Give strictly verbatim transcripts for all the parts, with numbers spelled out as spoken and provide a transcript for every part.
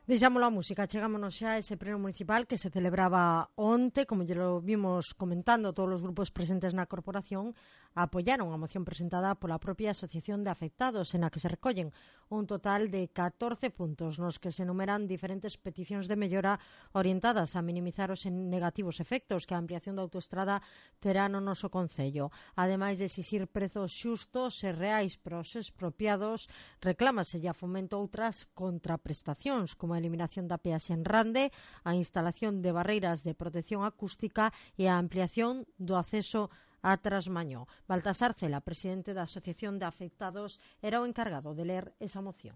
Deixámoslo a música, chegámonos xa a ese pleno municipal que se celebraba onte, como ya lo vimos comentando, todos os grupos presentes na corporación apoyaron a moción presentada pola propia Asociación de Afectados, en a que se recollen un total de catorce puntos nos que se enumeran diferentes peticións de mellora orientadas a minimizar os negativos efectos que a ampliación da autoestrada terá no noso concello. Ademais de exixir prezos xustos e reais para os expropiados, reclámase a Fomento outras contraprestacións, como a eliminación da peaxe en Rande, a instalación de barreiras de protección acústica e a ampliación do acceso a Trasmañó. Baltasar Cela, presidente da Asociación de Afectados, era o encargado de ler esa moción.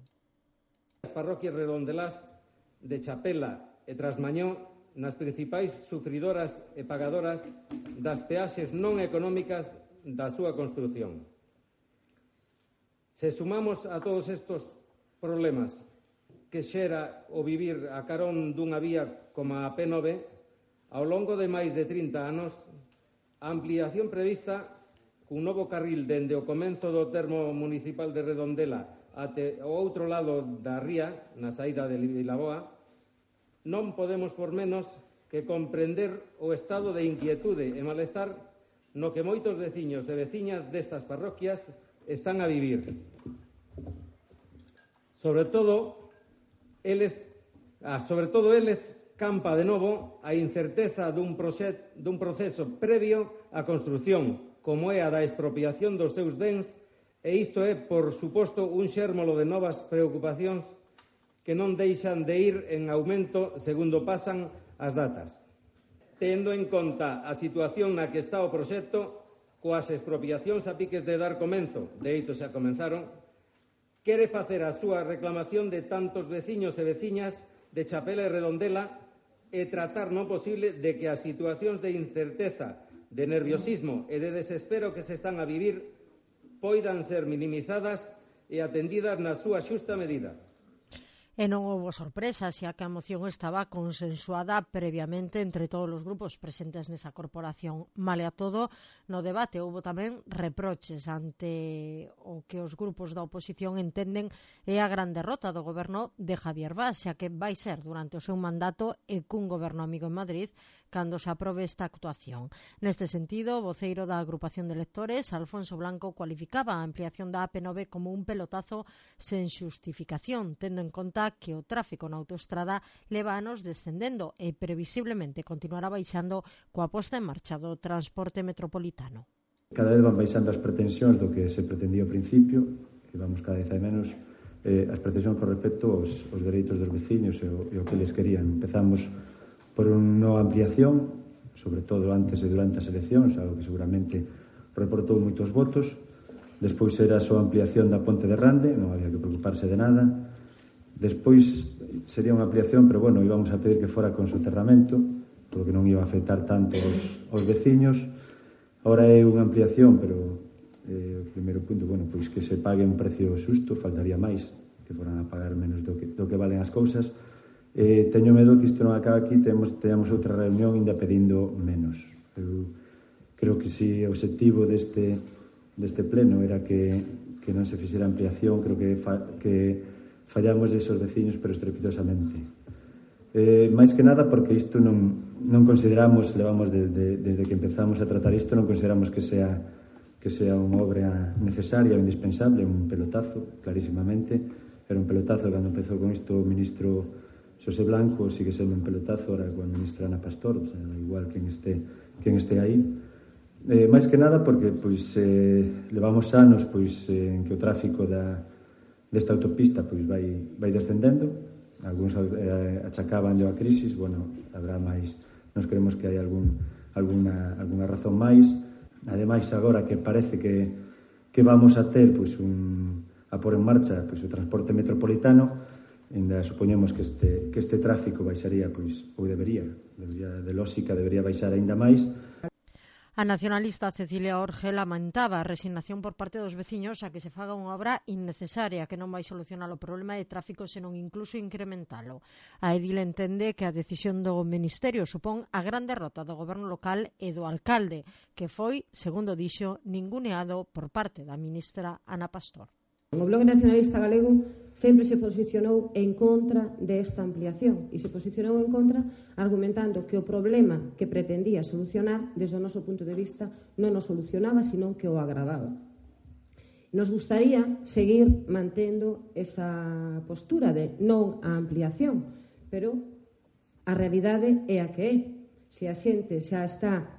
As parroquias redondelás de Chapela e Trasmañó nas principais sufridoras e pagadoras das peaxes non económicas da súa construción. Se sumamos a todos estes problemas que xera o vivir a carón dunha vía como a P nove, ao longo de máis de trinta anos, a ampliación prevista cun novo carril dende o comenzo do termo municipal de Redondela até o outro lado da ría, na saída de Vilaboa, non podemos por menos que comprender o estado de inquietude e malestar no que moitos veciños e veciñas destas parroquias están a vivir. Sobre todo, eles, ah, sobre todo eles campa de novo a incerteza dun, proxet, dun proceso previo á construción, como é a da expropiación dos seus bens, e isto é, por suposto, un xérmolo de novas preocupacións que non deixan de ir en aumento segundo pasan as datas. Tendo en conta a situación na que está o proxecto, coas expropiacións a piques de dar comenzo, de heito xa comenzaron, quere facer a súa reclamación de tantos veciños e veciñas de Chapela e Redondela e tratar no posible de que as situacións de incerteza, de nerviosismo e de desespero que se están a vivir poidan ser minimizadas e atendidas na súa xusta medida. E non houbo sorpresa, xa que a moción estaba consensuada previamente entre todos os grupos presentes nesa corporación. Male a todo, no debate houbo tamén reproches ante o que os grupos da oposición entenden é a gran derrota do goberno de Javier Bas, xa que vai ser durante o seu mandato e cun goberno amigo en Madrid cando se aprobe esta actuación. Neste sentido, o voceiro da agrupación de electores, Alfonso Blanco, cualificaba a ampliación da A P nove como un pelotazo sen xustificación, tendo en conta que o tráfico na autoestrada leva anos descendendo e previsiblemente continuará baixando coa posta en marcha do transporte metropolitano. Cada vez van baixando as pretensións do que se pretendía ao principio, que vamos cada vez a menos eh, as pretensións con respecto aos, aos dereitos dos veciños e o, e o que les querían. Empezamos por unha ampliación, sobre todo antes e durante as eleccións, algo que seguramente reportou moitos votos. Despois era a súa ampliación da ponte de Rande, non había que preocuparse de nada. Despois sería unha ampliación, pero bueno, íbamos a pedir que fora con soterramento, porque non iba a afectar tanto aos, aos veciños. Ahora é unha ampliación, pero eh, o primeiro punto, bueno, pois que se pague un precio xusto, faltaría máis, que foran a pagar menos do que, do que valen as cousas. Eh, teño medo que isto non acabe aquí, temos, teñamos outra reunión ainda pedindo menos. Eu creo que se o objetivo deste, deste pleno era que, que non se fixera ampliación, creo que, fa, que fallamos esos veciños, pero estrepitosamente. Eh, máis que nada porque isto non, non consideramos, levamos de, de, desde que empezamos a tratar isto, non consideramos que sea, que sea unha obra necesaria ou indispensable, un pelotazo, clarísimamente. Era un pelotazo cando empezou con isto o ministro Xosé Blanco, sigue sendo un pelotazo ahora con a ministra Ana Pastor, o sea, igual quen este, quen este aí. Eh, máis que nada porque pois, eh, levamos anos pois, eh, en que o tráfico da desta autopista pois vai, vai descendendo, algúns eh, achacaban a crisis, bueno, habrá máis, nos creemos que hai algún, alguna, alguna razón máis, ademais agora que parece que, que vamos a ter pois, un, a pôr en marcha pois, o transporte metropolitano, ainda supoñemos que este, que este tráfico baixaría, pois, ou debería, debería de lógica, debería baixar aínda máis. A nacionalista Cecilia Orge lamentaba a resignación por parte dos veciños a que se faga unha obra innecesaria que non vai solucionar o problema de tráfico senón incluso incrementalo. A edil entende que a decisión do Ministerio supón a gran derrota do goberno local e do alcalde, que foi, segundo dixo, ninguneado por parte da ministra Ana Pastor. O Bloque Nacionalista Galego sempre se posicionou en contra desta ampliación e se posicionou en contra argumentando que o problema que pretendía solucionar, desde o noso punto de vista, non o solucionaba, senón que o agravaba. Nos gustaría seguir mantendo esa postura de non a ampliación, pero a realidade é a que é. Se a xente xa está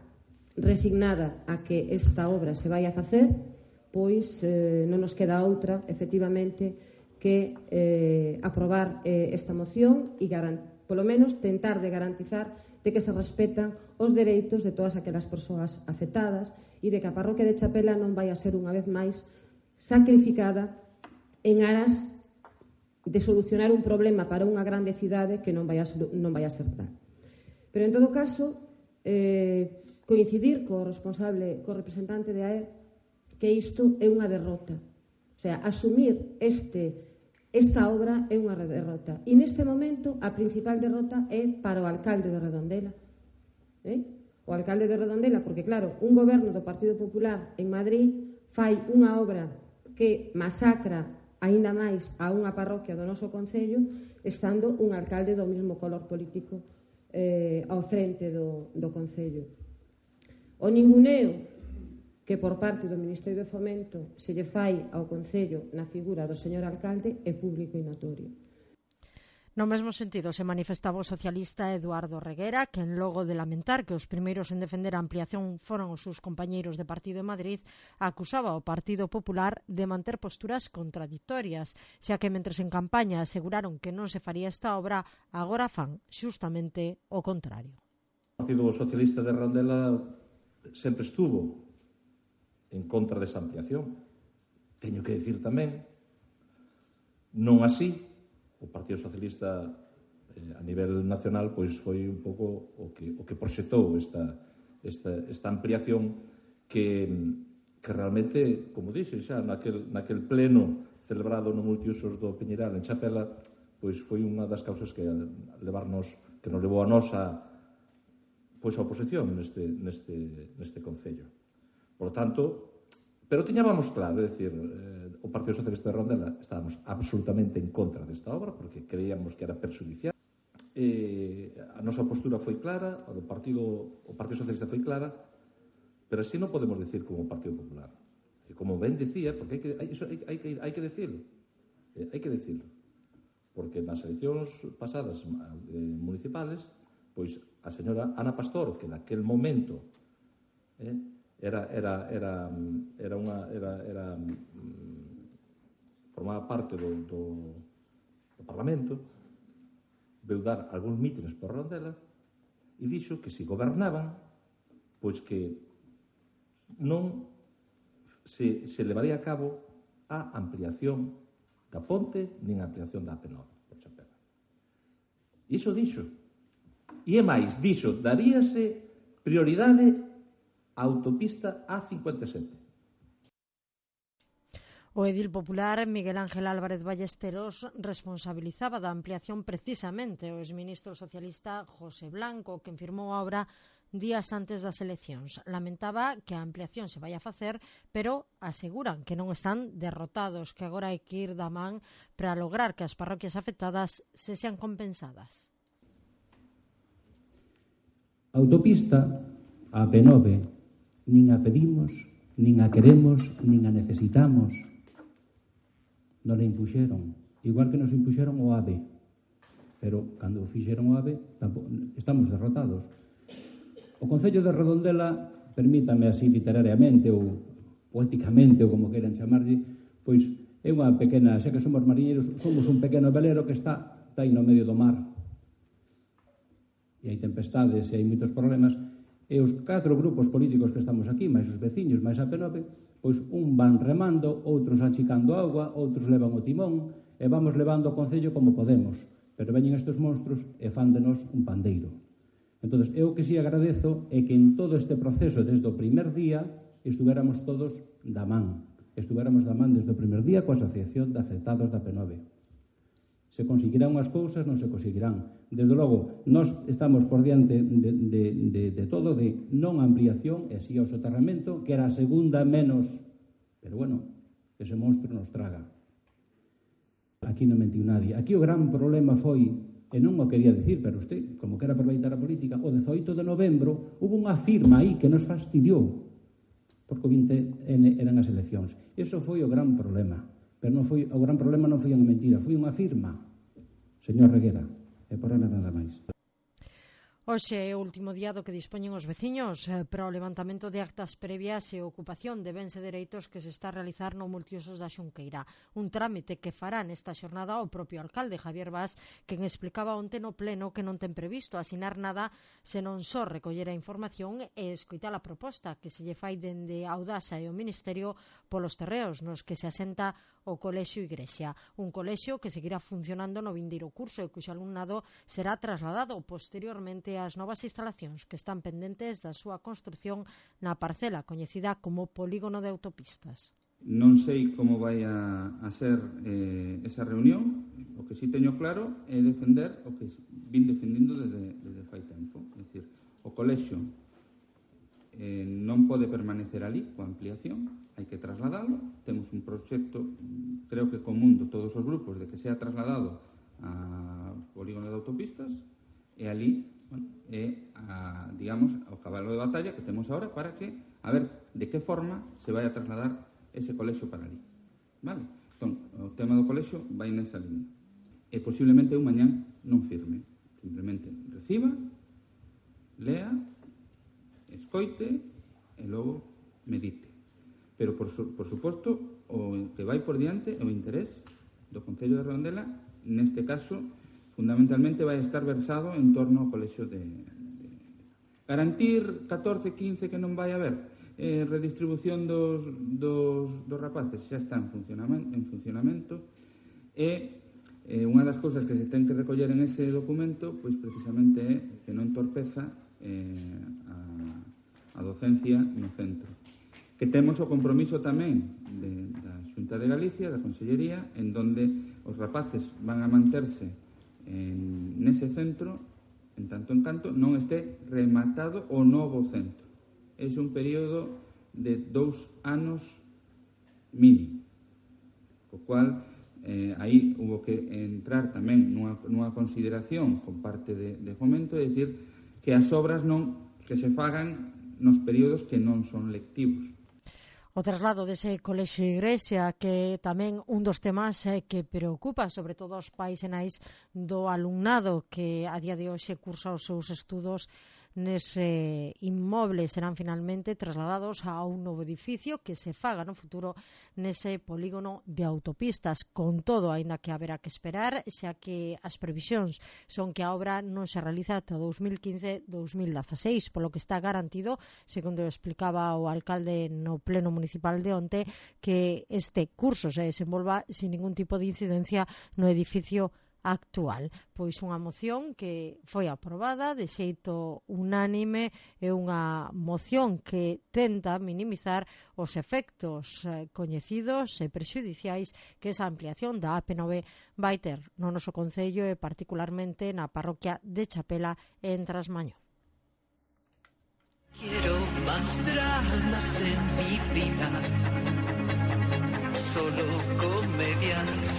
resignada a que esta obra se vai a facer, pois eh, non nos queda outra, efectivamente, que eh, aprobar eh, esta moción e, polo menos, tentar de garantizar de que se respetan os dereitos de todas aquelas persoas afectadas e de que a parroquia de Chapela non vai a ser unha vez máis sacrificada en aras de solucionar un problema para unha grande cidade que non vai a, non vai a ser tal. Pero, en todo caso, eh, coincidir co responsable, co representante de A E que isto é unha derrota. O sea, asumir este Esta obra é unha derrota. E neste momento a principal derrota é para o alcalde de Redondela. Eh? O alcalde de Redondela, porque claro, un goberno do Partido Popular en Madrid fai unha obra que masacra aínda máis a unha parroquia do noso concello, estando un alcalde do mesmo color político eh, ao frente do, do concello. O ninguneo que por parte do Ministerio de Fomento se lle fai ao Concello na figura do señor alcalde é público e notorio. No mesmo sentido se manifestaba o socialista Eduardo Reguera, que en logo de lamentar que os primeiros en defender a ampliación foron os seus compañeiros de partido en Madrid, acusaba ao Partido Popular de manter posturas contradictorias, xa que mentres en campaña aseguraron que non se faría esta obra, agora fan xustamente o contrario. O Partido Socialista de Redondela sempre estuvo en contra desa ampliación. Teño que dicir tamén, non así, o Partido Socialista eh, a nivel nacional pois foi un pouco o que, o que proxectou esta, esta, esta ampliación que, que realmente, como dixe xa, naquel, naquel pleno celebrado no multiusos do Peñeiral en Chapela, pois foi unha das causas que levarnos, que nos levou a nos a, pois a oposición neste, neste, neste concello. Por lo tanto, pero tiñábamos claro, é dicir, eh, o Partido Socialista de Redondela estábamos absolutamente en contra desta obra porque creíamos que era perxudicial. Eh, a nosa postura foi clara, a do Partido, o Partido Socialista foi clara, pero así non podemos decir como o Partido Popular. E como ben dicía, porque hai que, hai, iso hai, hai, que, hai que decirlo, eh, hai que decirlo, porque nas eleccións pasadas eh, municipales, pois a señora Ana Pastor, que naquel momento eh, Era, era, era, era unha, era, era, formaba parte do, do, do Parlamento, veu dar algúns mítines por Redondela e dixo que se gobernaban, pois que non se, se levaría a cabo a ampliación da ponte nin a ampliación da A P nove por Chapela. E iso dixo. E é máis, dixo, daríase prioridade a autopista A cincuenta e sete. O edil popular Miguel Ángel Álvarez Ballesteros responsabilizaba da ampliación precisamente o exministro socialista José Blanco, que firmou a obra días antes das eleccións. Lamentaba que a ampliación se vai a facer, pero aseguran que non están derrotados, que agora hai que ir da man para lograr que as parroquias afectadas se sean compensadas. A autopista A P nove nin a pedimos, nin a queremos, nin a necesitamos. Non a impuxeron, igual que nos impuxeron o A V E. Pero, cando fixeron o A V E, tampouco, estamos derrotados. O Concello de Redondela, permítame así literariamente ou poéticamente, ou como queiran chamarlle, pois é unha pequena, xa que somos mariñeiros, somos un pequeno velero que está, está aí no medio do mar. E hai tempestades e hai moitos problemas. E os catro grupos políticos que estamos aquí, máis os veciños, máis a P nove, pois un van remando, outros achicando auga, outros levan o timón, e vamos levando o Concello como podemos. Pero veñen estes monstruos e fan de nos un pandeiro. Entón, eu que si agradezo é que en todo este proceso, desde o primer día, estuvéramos todos da man. Estuvéramos da man desde o primer día coa Asociación de Afectados da P nove. Se conseguirán unhas cousas, non se conseguirán. Desde logo, nós estamos por diante de, de, de, de todo, de non ampliación, e así ao soterramento, que era a segunda menos. Pero bueno, ese monstro nos traga. Aquí non mentiu nadie. Aquí o gran problema foi, e non o quería dicir, pero usted, como quera aproveitar a política, o dezoito de novembro hubo unha firma aí que nos fastidiou, porque o vinte ene eran as eleccións. Iso foi o gran problema. Pero non foi, o gran problema non foi unha mentira, foi unha firma, señor Reguera, e por ahora nada máis. Hoxe é o último día do que dispoñen os veciños eh, para o levantamento de actas previas e ocupación de bens e dereitos que se está a realizar no multiusos da Xunqueira. Un trámite que fará nesta xornada o propio alcalde Javier Bas, quen explicaba onte no pleno que non ten previsto asinar nada senón só recoller a información e escoitar a proposta que se lle fai dende Audasa e o Ministerio polos terreos nos que se asenta o Colexio Igrexa. Un colexio que seguirá funcionando no vindeiro curso e cuxo alumnado será trasladado posteriormente ás novas instalacións que están pendentes da súa construción na parcela coñecida como Polígono de Autopistas. Non sei como vai a, a ser eh, esa reunión. O que sí teño claro é defender o que vin defendendo desde, desde fai tempo. É dicir, o colexio eh, non pode permanecer ali coa ampliación, hai que trasladalo. Temos un proxecto, creo que común de todos os grupos, de que sea trasladado ao polígono de autopistas, e ali, bueno, é, a, digamos, o cabalo de batalla que temos ahora para que, a ver, de que forma se vai a trasladar ese colexio para ali. Vale? Entón, o tema do colexio vai nesa línea. E posiblemente un mañán non firme. Simplemente reciba, lea, escoite e logo medite. Pero, por, su, por suposto, o que vai por diante é o interés do Concello de Redondela, neste caso, fundamentalmente vai estar versado en torno ao colexio de, de... Garantir catorce, quince que non vai haber eh, redistribución dos, dos, dos rapaces, xa está en funcionamento, en funcionamento e eh, unha das cousas que se ten que recoller en ese documento, pois precisamente é que non torpeza eh, a, a docencia no centro. Que temos o compromiso tamén de, da Xunta de Galicia, da Consellería, en donde os rapaces van a manterse en, nese centro, en tanto en canto non este rematado o novo centro. É un período de dous anos mínimo, co cual eh, aí hubo que entrar tamén nunha, nunha consideración con parte de, de Fomento, é dicir, que as obras non que se fagan nos períodos que non son lectivos. O traslado dese colexio Igrexa, que tamén un dos temas eh, que preocupa sobre todo aos pais e nais do alumnado que a día de hoxe cursa os seus estudos nese inmoble, serán finalmente trasladados a un novo edificio que se faga no futuro nese polígono de autopistas. Con todo, aínda que haberá que esperar, xa que as previsións son que a obra non se realiza ata dous mil quince dous mil dezaseis, polo que está garantido, segundo explicaba o alcalde no pleno municipal de onte, que este curso se desenvolva sin ningún tipo de incidencia no edificio actual. Pois unha moción que foi aprobada de xeito unánime e unha moción que tenta minimizar os efectos eh, coñecidos e prexudiciais que esa ampliación da A P nove vai ter no noso concello e particularmente na parroquia de Chapela e en Trasmaño. Quiero más dramas en mi vida, solo comedias.